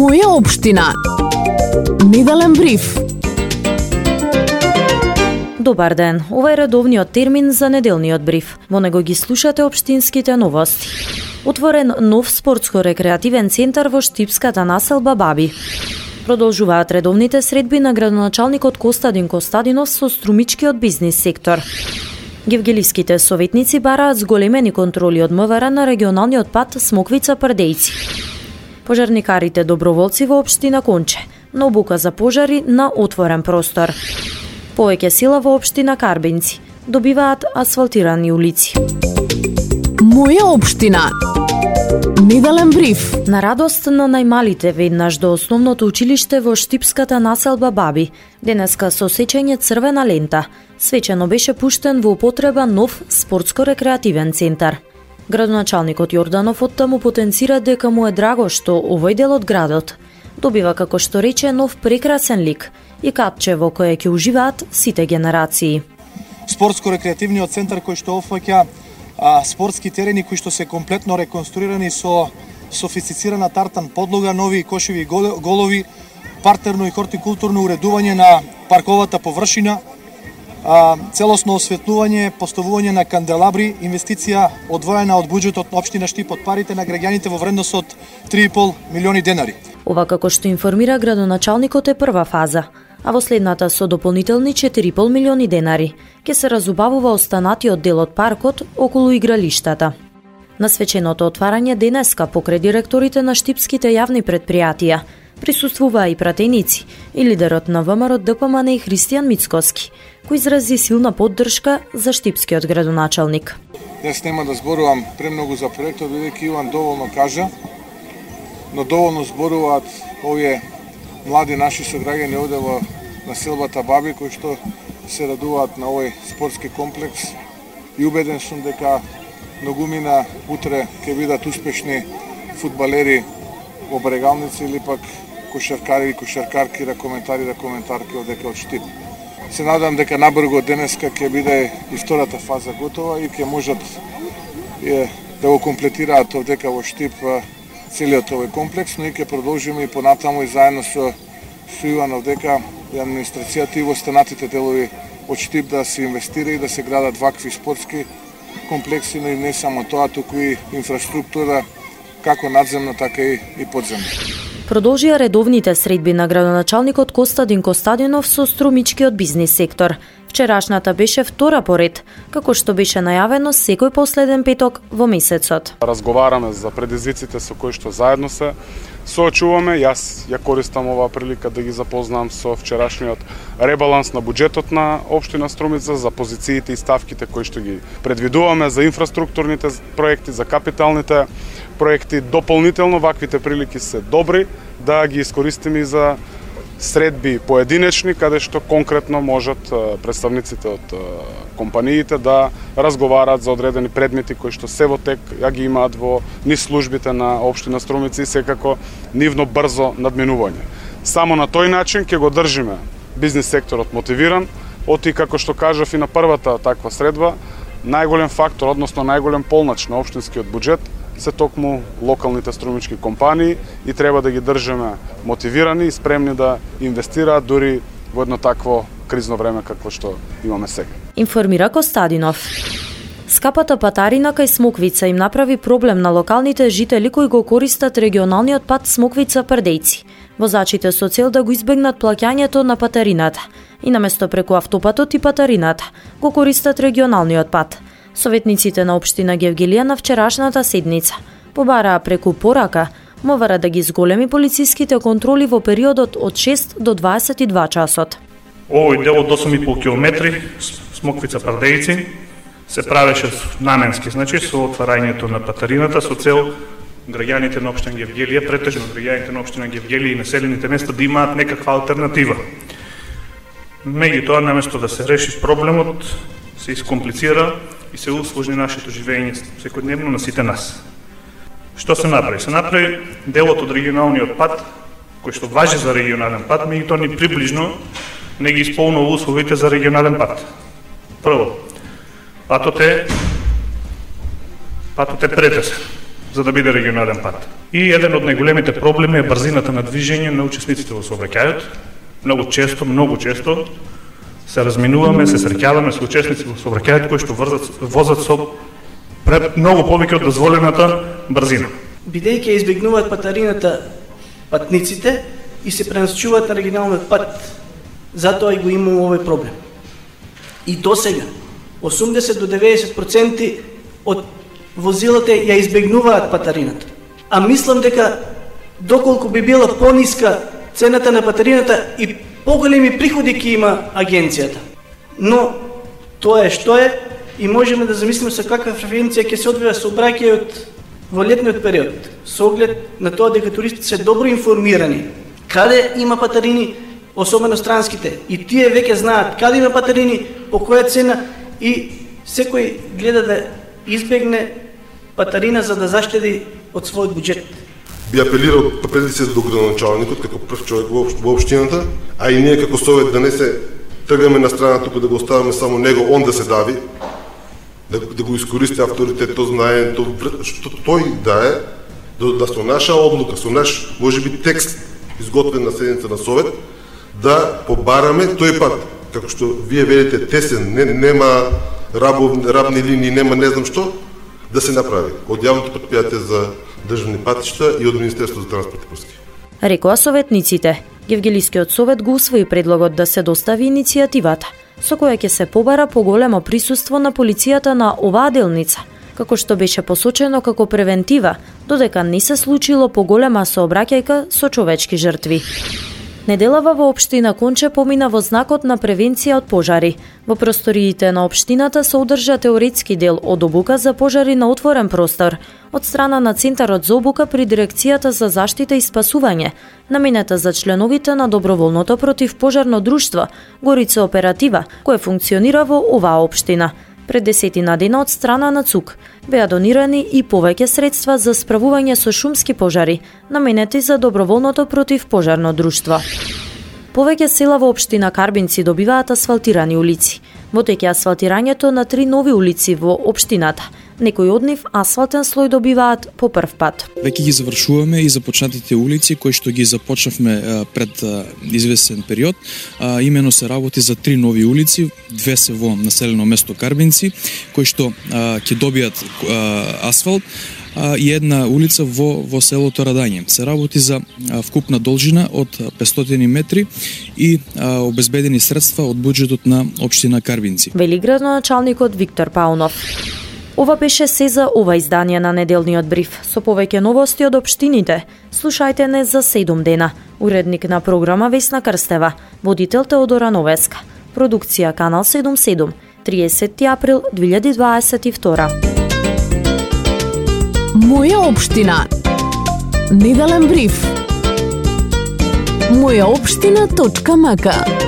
Моја општина. Неделен бриф. Добар ден, ова е редовниот термин за неделниот бриф. Во него ги слушате општинските новости. Отворен нов спортско-рекреативен центар во штипската населба Баби. Продолжуваат редовните средби на градоначалникот Костадин Костадинов со струмичкиот бизнис сектор. Гевгеливските советници бараат зголемени контроли од МВР на регионалниот пат Смоквица-Прдејци. Пожарникарите доброволци во општина Конче на обука за пожари на отворен простор. Повеќе сила во општина Карбенци добиваат асфалтирани улици. Моја општина. Неделен бриф. На радост на најмалите веднаш до основното училиште во штипската населба Баби, денеска со сечење црвена лента, свечено беше пуштен во употреба нов спортско-рекреативен центар. Градоначалникот Јорданов оттаму потенцира дека му е драго што овој дел од градот добива, како што рече, нов прекрасен лик и капче во кое ќе уживаат сите генерации. Спортско-рекреативниот центар кој што опфаќа спортски терени кои што се комплетно реконструирани со софистицирана тартан подлога, нови кошеви голови, партерно и хортикултурно уредување на парковата површина, целосно осветлување, поставување на канделабри, инвестиција одвоена од буџетот на општина Штип од парите на граѓаните во вредност од 3,5 милиони денари. Ова, како што информира градоначалникот, е прва фаза, а во следната со дополнителни 4,5 милиони денари ќе се разубавува останатиот дел од паркот околу игралиштата. На свеченото отварање денеска покрај директорите на штипските јавни предпријатија присуствуваа и пратеници и лидерот на ВМРО ДПМН и Христијан Мицкоски, кој изрази силна поддршка за штипскиот градоначалник. Днес нема да зборувам премногу за проектот, бидејќи Иван доволно кажа, но доволно зборуваат овие млади наши сограѓани овде во населбата Баби, кои што се радуваат на овој спортски комплекс и убеден сум дека многумина утре ќе бидат успешни фудбалери во Брегалница или пак кошаркари и кошаркарки, коментарки одека од Штип. Се надам дека набрзо денеска ќе биде и втората фаза готова и ќе можат да го комплетираат одека во Штип целиот овој комплекс, но и ќе продолжиме и понатаму и заедно со Иван одека и администрацијата и во останатите делови од Штип да се инвестира и да се градат вакви спортски комплекси, но и не само тоа, туку и инфраструктура како надземна, така и подземна. Продолжија редовните средби на градоначалникот Костадин Костадинов со струмичкиот бизнис сектор. Вчерашната беше втора поред, како што беше најавено секој последен петок во месецот. Разговараме за предизвиците со кои што заедно се соочуваме. Јас ја користам оваа прилика да ги запознам со вчерашниот ребаланс на буџетот на општина Струмица, за позициите и ставките кои што ги предвидуваме за инфраструктурните проекти, за капиталните проекти. Дополнително ваквите прилики се добри да ги искористиме и за средби поединечни, каде што конкретно можат представниците од компаниите да разговараат за одредени предмети кои што се во тек ја ги имаат во низ службите на општина Струмица и секако нивно брзо надминување. Само на тој начин ќе го држиме бизнис секторот мотивиран, оти како што кажав и на првата таква средба, најголем фактор, односно најголем полнач на општинскиот буџет се токму локалните струмички компании и треба да ги држиме мотивирани и спремни да инвестираат дури во едно такво кризно време какво што имаме сега. Информира Костадинов. Скапата патарина кај Смоквица им направи проблем на локалните жители кои го користат регионалниот пат Смоквица-Прдејци. Возачите со цел да го избегнат плаќањето на патарината и наместо преку автопатот и патарината го користат регионалниот пат. Советниците на општина Гевгелија на вчерашната седница побараа преку порака МВР да ги зголеми полициските контроли во периодот од 6 до 22 часот. Овој дел од 8,5 километри Смоквица-Прдејци се правеше наменски, значи со отварањето на патарината со цел граѓаните на општина Гевгелија, претежно граѓаните на општина Гевгелија и населените места да имаат некаква алтернатива. Меѓутоа, наместо да се реши проблемот, се искомплицира и се усложни нашето живење секојдневно на сите нас. Што се направи? Се направи делот од регионалниот пат, кој што важи за регионален пат, меѓутоа ни приближно не ги исполнува условите за регионален пат. Прво, патот е претесен. за да биде регионален пат. И еден од најголемите проблеми е брзината на движење на учесниците во сообраќајот. Многу често се разминуваме, се среќаваме со учесници во сообраќајот кои што возат со многу повеќе од дозволената брзина. Бидејќи избегнуваат патарината патниците и се пренасочуваат на регионалниот пат, затоа и го имamo овој проблем. И до сега 80 до 90% од возилата ја избегнуваат патарината. А мислам дека доколку би била пониска цената на патарината и поголеми приходи ќе има агенцијата. Но тоа е што е и можеме да замислиме со каква фреквенција ќе се одвива сообраќајот во летниот период, со оглед на тоа дека туристите се добро информирани каде има патарини, особено странските, и тие веќе знаат каде има патарини, по која цена и секој гледа да избегне патарина за да заштеди од својот буџет. Би апелирал преди се до градоначалникот како прв човек во општината, а и ние како совет да не се тргаме на страна тука да го оставаме само него, он да се дави, да го искористи авторитет, то знае, што тој да со наша одлука, со наш можеби текст изготвен на седница на совет, да побараме тој пат, како што вие велите тесен, нема рабни линии, нема не знам што, да се направи од јавното претпријатие за државни патишта и од Министерството за транспорт и врски. Рекоа советниците. Гевгелискиот совет го усвои предлогот да се достави иницијативата, со која ќе се побара поголемо присуство на полицијата на оваа делница, како што беше посочено како превентива, додека не се случило поголема сообраќајка со човечки жртви. Неделава во општина Конче помина во знакот на превенција од пожари. Во просториите на општината се одржа теоретски дел од обука за пожари на отворен простор од страна на Центарот за обука при Дирекцијата за заштита и спасување, наменета за членовите на доброволното противпожарно друштво Горица Оператива, кое функционира во оваа општина. Пред 10 дена од страна на ЦУК беа донирани и повеќе средства за справување со шумски пожари, наменети за доброволното противпожарно друштво. Повеќе села во општина Карбинци добиваат асфалтирани улици. Во тек е асфалтирањето на 3 нови улици во општината. Некои од нив асфалтен слој добиваат по прв пат. Веќе ги завршуваме и започнатите улици кои што ги започнавме пред известен период. Имено се работи за 3 нови улици, 2 се во населено место Карбинци, кои што ќе добијат асфалт, и една улица во селото Радање. Се работи за вкупна должина од 500 метри и обезбедени средства од буџетот на општина Карбинци. Вели градоначалникот Виктор Паунов. Ова беше се за ова издание на неделниот бриф. Со повеќе новости од општините, слушајте не за 7 дена. Уредник на програма Весна Крстева, водител Теодора Новеска. Продукција Канал 77, 30 април 2022. Моја општина. Неделен бриф. Мојаопштина.мк